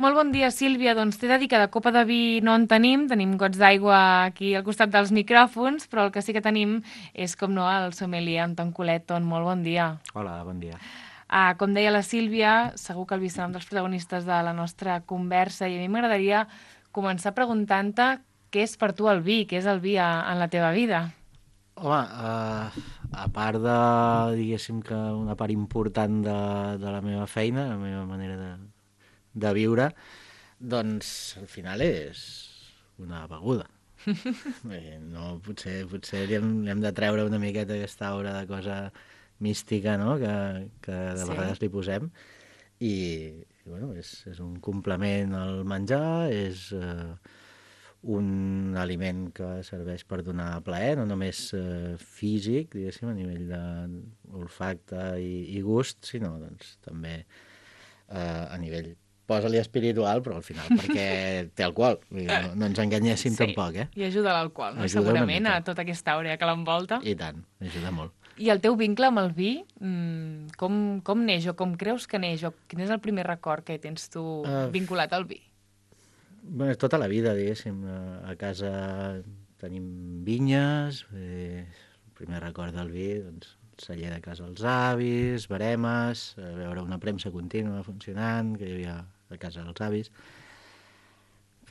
Molt bon dia, Sílvia. Doncs t'he de dir que de copa de vi no en tenim gots d'aigua aquí al costat dels micròfons, però el que sí que tenim és, com no, el sommelier Anton Coleton. Molt bon dia. Hola, bon dia. Com deia la Sílvia, segur que el vi serà un dels protagonistes de la nostra conversa i a mi m'agradaria començar preguntant-te què és per tu el vi, què és el vi en la teva vida. Home, a part de, diguéssim que una part important de la meva feina, la meva manera de viure, doncs al final és una beguda. No, potser li hem de treure una miqueta aquesta aura de cosa mística, no?, que de vegades li posem. I bueno, és un complement al menjar, és un aliment que serveix per donar plaer, no només físic, diguéssim, a nivell d'olfacte i gust, sinó doncs, també a nivell, posa-li espiritual, però al final perquè té alcohol. No ens enganyéssim tampoc, eh? I ajuda l'alcohol, no? Ajuda Segurament, a tota aquesta àurea que l'envolta. I tant, ajuda molt. I el teu vincle amb el vi, com neix o com creus que neix? O quin és el primer record que tens tu vinculat al vi? Bé, tota la vida, diguéssim. A casa tenim vinyes, el primer record del vi, doncs, el celler de casa dels avis, veremes, veure una premsa contínua funcionant que hi havia a casa dels avis.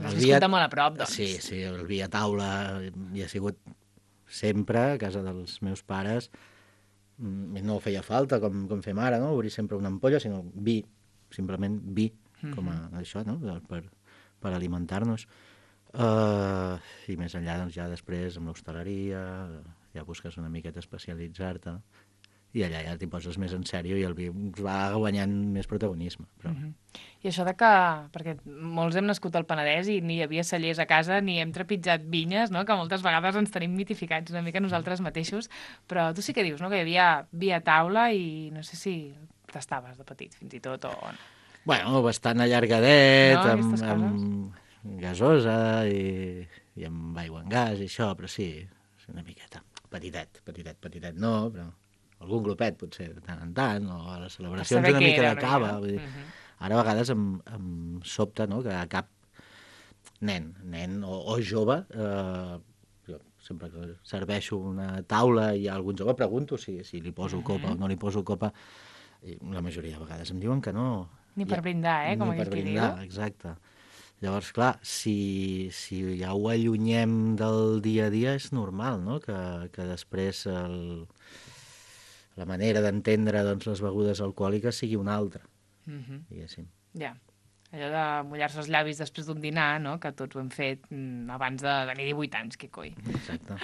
Has viscut molt a prop, doncs. Sí, el vi a taula hi ha sigut sempre a casa dels meus pares. No feia falta, com fem ara, no?, obrir sempre una ampolla, sinó vi, simplement vi, com a això, no?, per alimentar-nos. I més enllà, doncs, ja després, amb l'hostaleria, ja busques una miqueta especialitzar-te, i allà ja t'hi poses més en sèrio i el vi va guanyant més protagonisme. Però... I això de que, perquè molts hem nascut al Penedès i ni hi havia cellers a casa ni hem trepitjat vinyes, no?, que moltes vegades ens tenim mitificats una mica nosaltres mateixos, però tu sí que dius, no?, que hi havia vi a taula i no sé si tastaves de petit, fins i tot, o... Bueno, bastant allargadet, no, amb gasosa i amb aigua en gas i això, però sí, una miqueta. Petitet no, però algun glopet potser de tant en tant, o a les celebracions una mica de cava. Vull dir, ara a vegades em sobta, no?, que cap nen o jove, jo sempre que serveixo una taula i a algun jove pregunto si li poso copa o no li poso copa, i la majoria de vegades em diuen que no. Ni per brindar, com aquell que diu. Exacte. Llavors, clar, si ja ho allunyem del dia a dia, és normal, no?, que després la manera d'entendre, doncs, les begudes alcohòliques sigui una altra, diguéssim. Ja. Allò de mullar-se els llavis després d'un dinar, no?, que tots ho hem fet abans de tenir 18 anys, que coi. Exacte.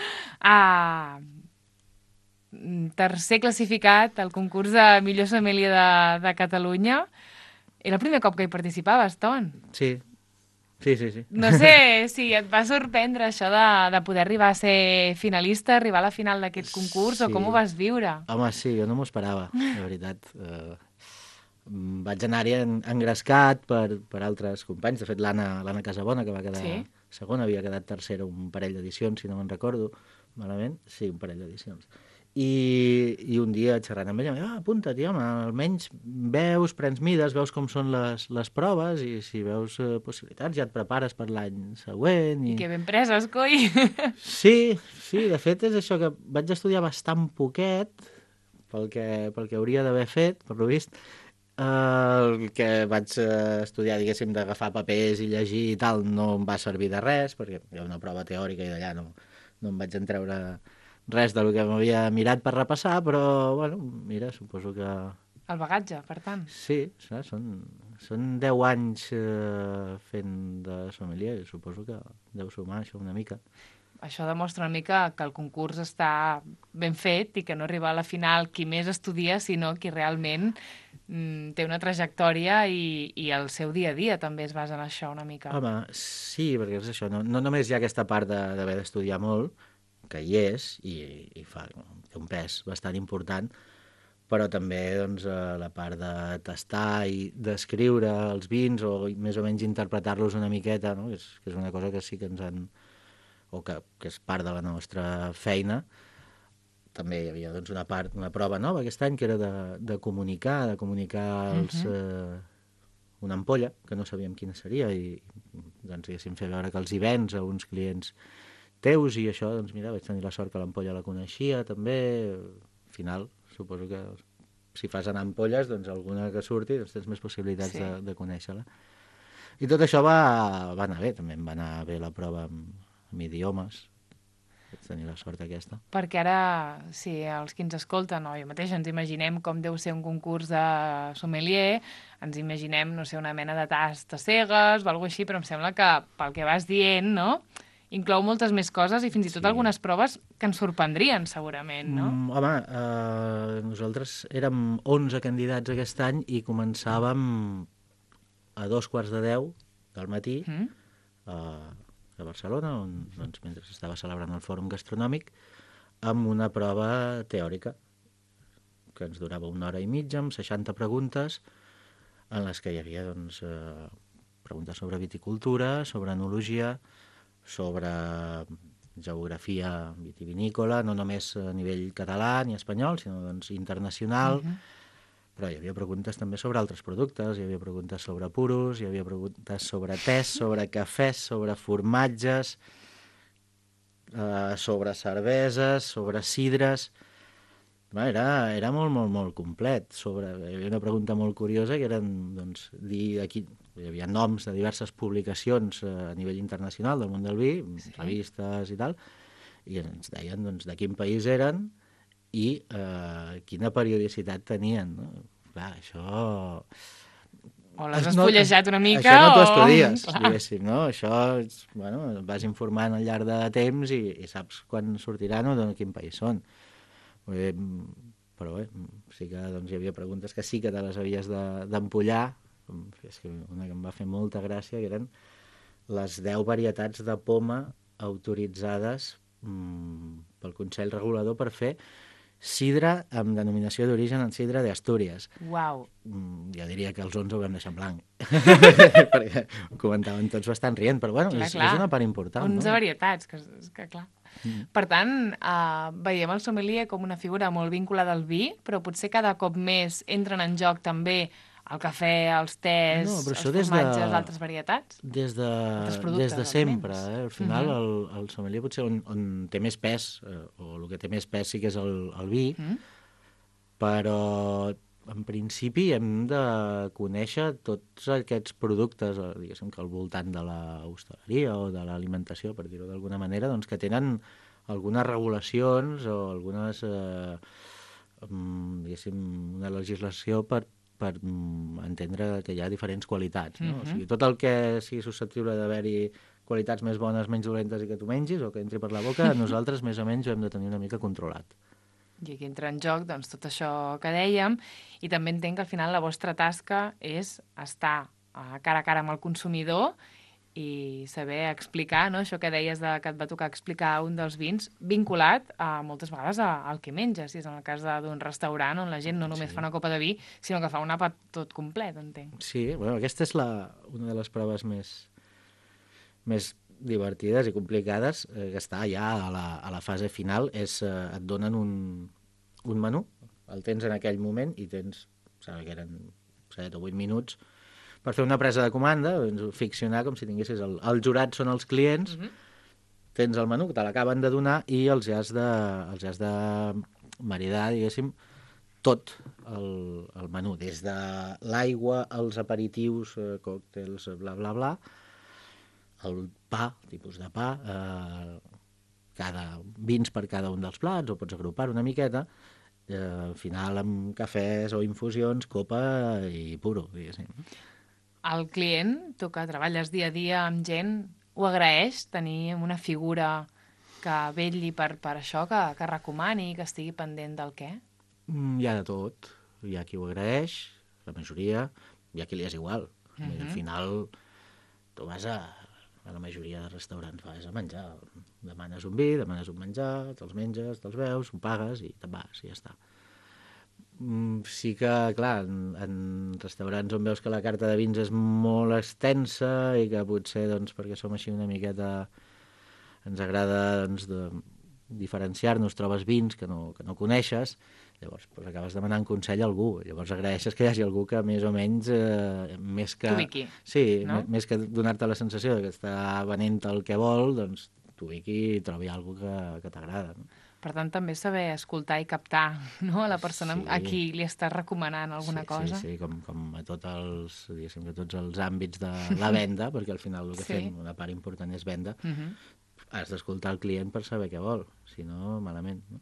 Tercer classificat al concurs de millor sommelier de Catalunya. Era el primer cop que hi participaves, Ton. Sí. No sé si et va sorprendre això de poder arribar a ser finalista, arribar a la final d'aquest concurs, o com ho vas viure? Home, sí, jo no m'ho esperava, de veritat. Vaig anar-hi engrescat per altres companys. De fet, l'Anna Casabona, que va quedar segona, havia quedat tercera un parell d'edicions, si no me'n recordo malament. Sí, un parell d'edicions. I un dia xerrant amb ella, apunta't, home, almenys veus, prens mides, veus com són les proves i si veus possibilitats ja et prepares per l'any següent. I que ben preses, coi! Sí, de fet és això, que vaig estudiar bastant poquet pel que hauria d'haver fet, per lo vist. El que vaig estudiar, diguéssim, d'agafar papers i llegir i tal, no em va servir de res, perquè hi ha una prova teòrica i d'allà no em vaig entreure res del que m'havia mirat per repassar, però, bueno, mira, suposo que... El bagatge, per tant. Sí, són 10 anys fent de sommelier, suposo que deu sumar això una mica. Això demostra una mica que el concurs està ben fet i que no arriba a la final qui més estudia, sinó qui realment té una trajectòria i el seu dia a dia també es basa en això una mica. Home, sí, perquè és això, no només hi ha aquesta part d'haver d'estudiar molt, que hi és, i té un pes bastant important, però també doncs, la part de tastar i descriure els vins o més o menys interpretar-los una miqueta, no?, que és una cosa que sí que ens han... o que és part de la nostra feina. També hi havia doncs, una prova nova aquest any, que era de comunicar els una ampolla, que no sabíem quina seria, i doncs, diguéssim, fer veure que els hi vens a uns clients teus, i això, doncs mira, vaig tenir la sort que l'ampolla la coneixia també. Al final, suposo que si fas anar ampolles, doncs alguna que surti, doncs tens més possibilitats de conèixer-la. I tot això va anar bé, també em va anar bé la prova amb idiomes, vaig tenir la sort aquesta. Perquè ara, si els que ens escolten, o jo mateix, ens imaginem com deu ser un concurs de sommelier, ens imaginem, no sé, una mena de tast de cegues o alguna així, però em sembla que pel que vas dient, no?, inclou moltes més coses i fins i tot algunes proves que ens sorprendrien, segurament, no? Home, nosaltres érem 11 candidats aquest any i començàvem a 2:15 del matí a Barcelona, on, doncs, mentre estava celebrant el Fòrum Gastronòmic, amb una prova teòrica que ens durava 1 hora i mitja, amb 60 preguntes, en les que hi havia doncs, preguntes sobre viticultura, sobre enologia, sobre geografia vitivinícola, no només a nivell català ni espanyol, sinó doncs, internacional, però hi havia preguntes també sobre altres productes, hi havia preguntes sobre puros, hi havia preguntes sobre tés, sobre cafès, sobre formatges, sobre cerveses, sobre sidres. Era molt, molt, molt complet. Hi havia una pregunta molt curiosa que eren, doncs, aquí hi havia noms de diverses publicacions a nivell internacional del món del vi, revistes i tal, i ens deien doncs, de quin país eren i quina periodicitat tenien, no? Clar, això... O l'has espollejat una mica, això no t'ho estudies, diguéssim, no? Això, bueno, vas informant al llarg de temps i saps quan sortiran o de quin país són. Però bé, sí que doncs, hi havia preguntes que sí que te les havies d'empollar. És que una que em va fer molta gràcia, que eren les 10 varietats de poma autoritzades pel Consell Regulador per fer sidra amb denominació d'origen en sidra d'Astúries. Uau! Jo diria que els 11 ho vam deixar en blanc. Perquè ho comentaven tots bastant rient, però bueno, és una part important. 11 varietats, que clar. Per tant, veiem el sommelier com una figura molt vinculada al vi, però potser cada cop més entren en joc també el cafè, els tés, els formatges, altres varietats? Des de sempre. Al final, el sommelier potser on té més pes, o el que té més pes sí que és el vi, però en principi hem de conèixer tots aquests productes, diguéssim que al voltant de l'hostaleria o de l'alimentació, per dir-ho d'alguna manera, doncs que tenen algunes regulacions o algunes, diguéssim, una legislació per entendre que hi ha diferents qualitats, no? O sigui, tot el que sigui susceptible d'haver-hi qualitats més bones, menys dolentes i que tu mengis o que entri per la boca, nosaltres més o menys ho hem de tenir una mica controlat. I aquí entra en joc doncs, tot això que dèiem, i també entenc que al final la vostra tasca és estar cara a cara amb el consumidor i saber explicar, no? Això que deies que et va tocar explicar un dels vins, vinculat moltes vegades al que menges, si és en el cas d'un restaurant on la gent no només fa una copa de vi, sinó que fa un àpat tot complet, entenc. Sí, bueno, aquesta és una de les proves més divertides i complicades, que està ja a la fase final, és et donen un menú, el tens en aquell moment i tens, sembla que eren 7 o 8 minuts, per fer una presa de comanda, ficcionar com si tinguessis el jurat són els clients, tens el menú, que te l'acaben de donar i els has de maridar, diguéssim, tot el menú, des de l'aigua, els aperitius, còctels, bla, bla, bla, el pa, tipus de pa, vins per cada un dels plats, o pots agrupar una miqueta, al final amb cafès o infusions, copa i puro, diguéssim. El client, tu que treballes dia a dia amb gent, ho agraeix tenir una figura que vetlli per això, que recomani, que estigui pendent del què? Hi ha de tot. Hi ha qui ho agraeix, la majoria, hi ha qui li és igual. Al final, tu vas a la majoria de restaurants, vas a menjar. Demanes un vi, demanes un menjar, te'ls menges, te'ls veus, ho pagues i te'n vas, i ja està. Sí que, clar, en restaurants on veus que la carta de vins és molt extensa i que potser, doncs, perquè som així una miqueta, ens agrada, doncs, de diferenciar-nos, trobes vins que no coneixes, Llavors, doncs, acabes demanant consell a algú. Llavors agraeixes que hi hagi algú que més o menys, més que... T'ubiqui, Sí, no? més que donar-te la sensació que està venent el que vol, doncs t'ubiqui i trobi alguna que t'agrada. No? Per tant, també saber escoltar i captar, no?, a la persona a Sí. qui li estàs recomanant alguna cosa. Sí, com a diguéssim, que tots els àmbits de la venda, perquè al final el que Sí. fem, una part important és venda, Mhm. has d'escoltar el client per saber què vol, si no, malament. No?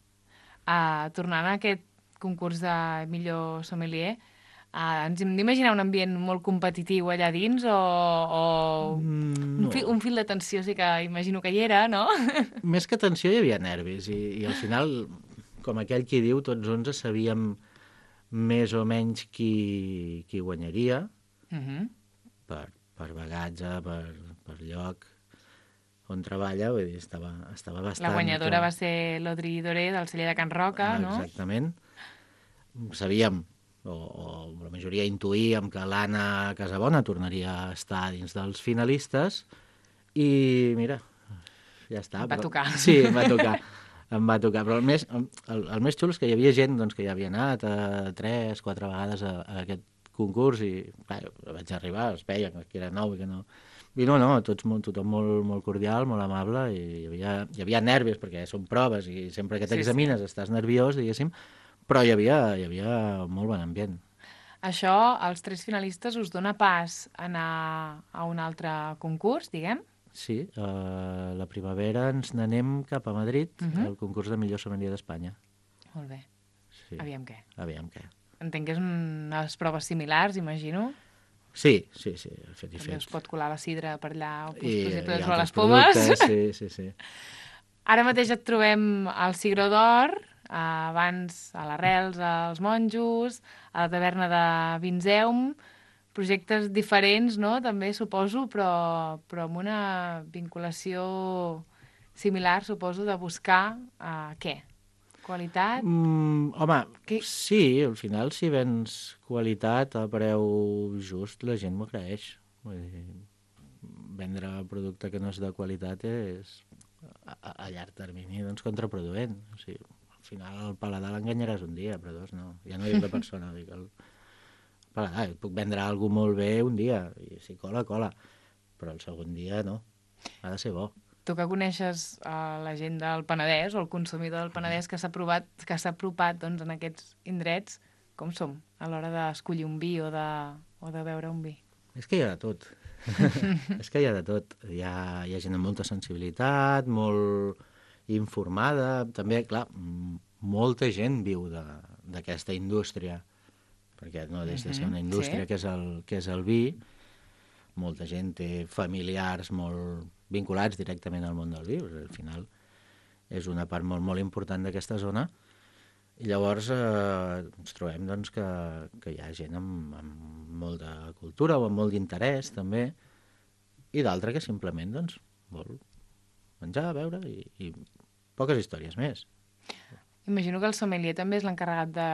Tornant a aquest concurs de millor sommelier, ens hem d'imaginar un ambient molt competitiu allà dins o No. un fil de tensió sí que imagino que hi era, no? Més que tensió hi havia nervis i al final, com aquell qui diu, tots 11 sabíem més o menys qui guanyaria Mhm. per bagatge, per lloc on treballa, vull dir, estava bastant... La guanyadora va ser l'Audrey Doré del celler de Can Roca, no? Exactament. Sabíem, o la majoria intuïem, que l'Anna Casabona tornaria a estar dins dels finalistes i, mira, ja està. Et va tocar. Sí, em va tocar. Em va tocar, però el més xulo és que hi havia gent doncs, que ja havia anat 3, 4 vegades a aquest concurs i clar, vaig arribar, es veia que era nou i que no... I no, tothom molt cordial, molt amable, i hi havia nervis, perquè són proves, i sempre que t'examines estàs nerviós, diguéssim, però hi havia molt bon ambient. Això, als 3 finalistes, us dona pas a anar a un altre concurs, diguem? Sí, la primavera ens n'anem cap a Madrid, al concurs de millor sommelier d'Espanya. Molt bé. Sí. Aviam què. Aviam què. Entenc que és unes proves similars, imagino. Sí, fet i També fet. us pot colar la sidra per allà, o us I podeu trobar altres les pomes. productes, sí. Ara mateix et trobem al Cigró d'Or, abans a l'Arrels, als Monjos, a la taverna de Vinzeum, projectes diferents, no?, també suposo, però amb una vinculació similar, suposo, de buscar què? Qualitat? Home, Que... sí, al final si vens qualitat a preu just, la gent m'ho agraeix. Vull dir, vendre producte que no és de qualitat és a llarg termini doncs, contraproduent. O sigui, al final el paladar l'enganyaràs un dia, però dos no. Ja no dic la persona, dic el paladar. Puc vendre alguna molt bé un dia, i si cola, però el segon dia no. Ha de ser bo. Tu que coneixes la gent del Penedès o el consumidor del Penedès que s'ha apropat doncs, en aquests indrets, com som a l'hora d'escollir un vi o de beure un vi? És que hi ha de tot. És que hi ha de tot. Hi ha gent amb molta sensibilitat, molt informada. També, clar, molta gent viu d'aquesta indústria, perquè no deixa de ser una indústria sí. que és el vi. Molta gent té familiars molt vinculats directament al món del vi. Al final és una part molt, molt important d'aquesta zona. I llavors ens trobem doncs, que hi ha gent amb molt de cultura o amb molt d'interès, també, i d'altra que simplement doncs, vol menjar, beure i poques històries més. Imagino que el sommelier també és l'encarregat de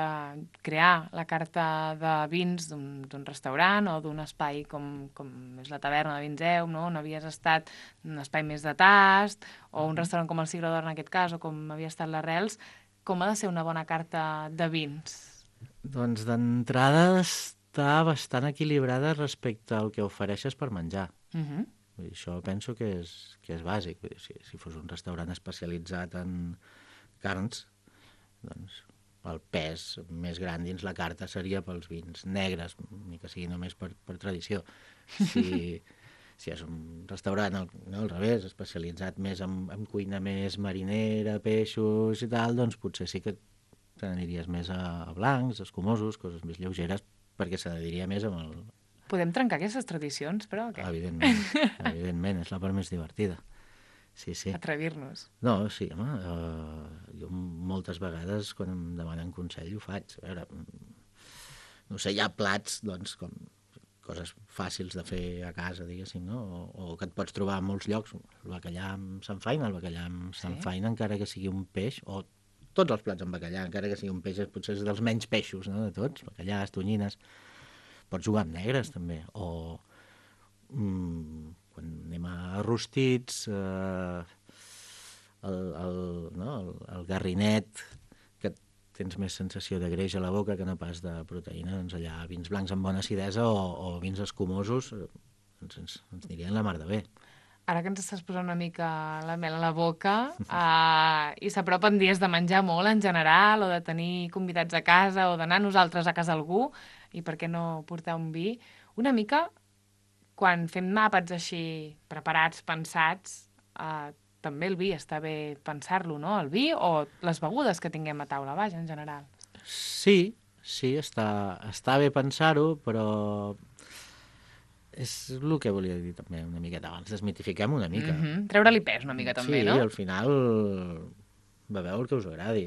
crear la carta de vins d'un restaurant o d'un espai com és la taverna de Vinzeu, no? On havies estat, un espai més de tast, o un restaurant com el Cigró d'Or en aquest cas, o com havia estat l'Arrels. Com ha de ser una bona carta de vins? Doncs d'entrada està bastant equilibrada respecte al que ofereixes per menjar. Vull dir, això penso que és bàsic. Vull dir, si fos un restaurant especialitzat en carns, doncs el pes més gran dins la carta seria pels vins negres, ni que sigui només per tradició. Si és un restaurant al revés, especialitzat més en cuina més marinera, peixos i tal, doncs potser sí que te n'aniries més a blancs, escumosos, coses més lleugeres, perquè s'adheriria més amb el... Podem trencar aquestes tradicions, però? O què? Evidentment, és la part més divertida. Sí. Atrevir-nos. No, sí, home, jo moltes vegades quan em demanen consell ho faig. A veure, no sé, hi ha plats, doncs, com coses fàcils de fer a casa, diguéssim, no? O que et pots trobar a molts llocs. El bacallà amb samfaina, encara que sigui un peix, o tots els plats amb bacallà, encara que sigui un peix, potser és dels menys peixos, no?, de tots, bacallàs, tonyines. Pots jugar amb negres, també, o... quan anem a rostits, el garrinet, que tens més sensació de greix a la boca que no pas de proteïna. Doncs allà vins blancs amb bona acidesa o vins escumosos ens anirien la mar de bé. Ara que ens estàs posant una mica la mel a la boca i s'apropen dies de menjar molt en general o de tenir convidats a casa o d'anar nosaltres a casa algú i per què no portar un vi, una mica quan fem àpats així preparats, pensats, també el vi està bé pensar-lo, no? El vi o les begudes que tinguem a taula, vaja, en general. Sí, està bé pensar-ho, però és el que volia dir també una miqueta abans, desmitifiquem una mica. Treure-li pes una mica també, no? Sí, al final beveu el que us agradi.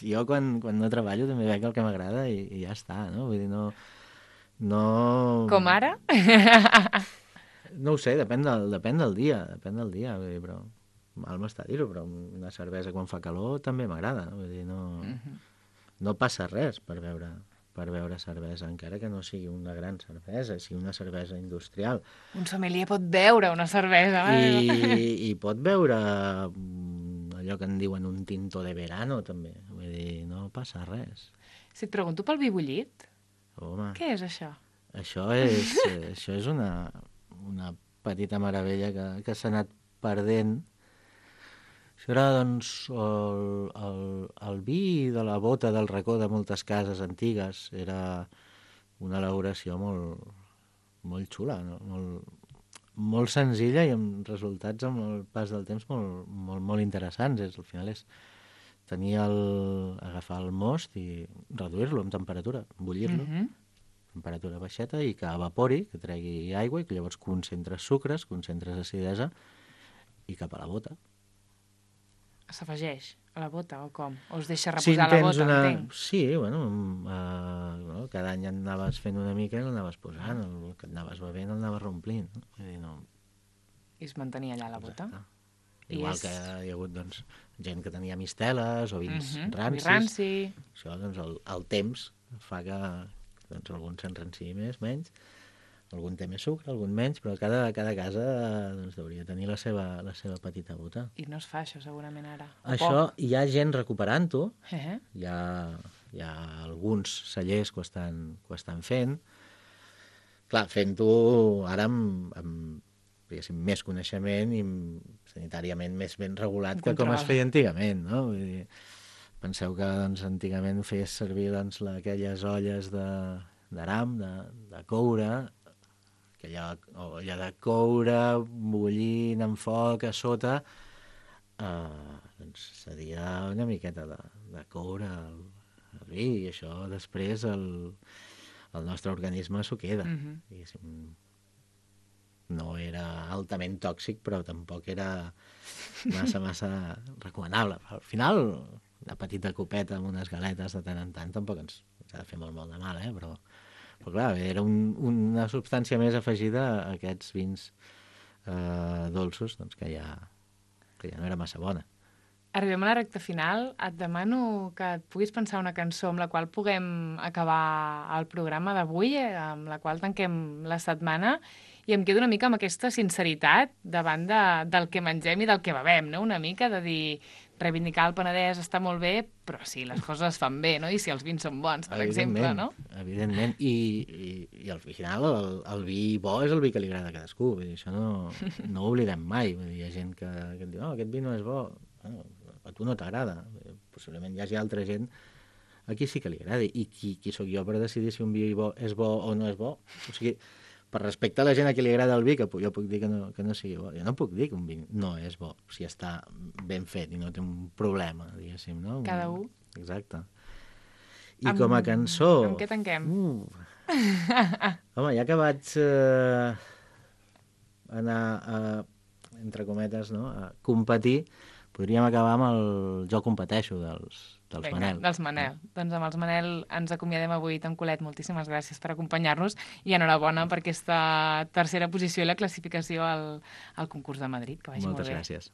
Jo quan no treballo també bec el que m'agrada i ja està, no? Vull dir, no... Com ara? No ho sé, depèn del dia, vull dir, però mal m'està dir-ho, però una cervesa quan fa calor també m'agrada, no? Vull dir, no passa res per beure cervesa, encara que no sigui una gran cervesa, sigui una cervesa industrial. Un sommelier pot beure una cervesa. I pot beure allò que en diuen un tinto de verano, també. Vull dir, no passa res. Si et pregunto pel vi bullit, Home, què és això? Això és una petita meravella que s'ha anat perdent. Això era, doncs, el vi de la bota del racó de moltes cases antigues. Era una elaboració molt xula, no? Molt senzilla i amb resultats amb el pas del temps molt interessants. Al final és agafar el most i reduir-lo en temperatura, bullir-lo, temperatura baixeta, i que evapori, que tregui aigua, i que llavors concentres sucres, concentres acidesa, i cap a la bota. S'afegeix a la bota o com? O es deixa reposar la bota, entenc? Sí, cada any anaves fent una mica i l'anaves posant, el que et anaves bevent l'anaves romplint. Vull dir, I es mantenia allà la bota? Igual que hi ha hagut gent que tenia misteles o vins rancis. Ranci. Això, doncs, el temps fa que algun s'enranciï més, menys, algun té més sucre, algun menys, però cada casa hauria de tenir la seva petita bota. I no es fa això, segurament, ara. Això hi ha gent recuperant-ho, hi ha alguns cellers que ho estan fent. Clar, fent-ho ara amb més coneixement i sanitàriament més ben regulat que com es feia antigament, no? Vull dir, penseu que antigament feies servir aquelles olles d'aram, de coure, aquella olla de coure bullint en foc a sota, seria una miqueta de coure al vi, i això després el nostre organisme s'ho queda. No era altament tòxic, però tampoc era massa recomanable. Al final, una petita copeta amb unes galetes de tant en tant tampoc ens ha de fer molt de mal, però clar, era una substància més afegida a aquests vins dolços, doncs que ja no era massa bona. Arribem a la recta final. Et demano que et puguis pensar una cançó amb la qual puguem acabar el programa d'avui, amb la qual tanquem la setmana, i em quedo una mica amb aquesta sinceritat davant del que mengem i del que bevem, no? Una mica de dir, reivindicar el Penedès està molt bé, però si les coses es fan bé, no? I si els vins són bons, per exemple, no? Evidentment, i al final el vi bo és el vi que li agrada a cadascú, vull dir, això no ho oblidem mai. Vull dir, hi ha gent que et diu, aquest vi no és bo, a tu no t'agrada, possiblement hi hagi altra gent a qui sí que li agradi, i qui sóc jo per decidir si un vi és bo o no és bo? O sigui, per respecte a la gent a qui li agrada el vi, que jo puc dir que no sigui bo. Jo no puc dir que un vi no és bo, si està ben fet i no té un problema, diguéssim, no? Cada un. Exacte. I com a cançó... Amb què tanquem? Home, ja que vaig anar entre cometes, no?, a competir, podríem acabar amb el Jo competeixo dels Manel. Dels Manel. Doncs amb els Manel ens acomiadem avui. Tom Colet, moltíssimes gràcies per acompanyar-nos i enhorabona per aquesta tercera posició i la classificació al concurs de Madrid. Que vagi molt bé. Moltes gràcies.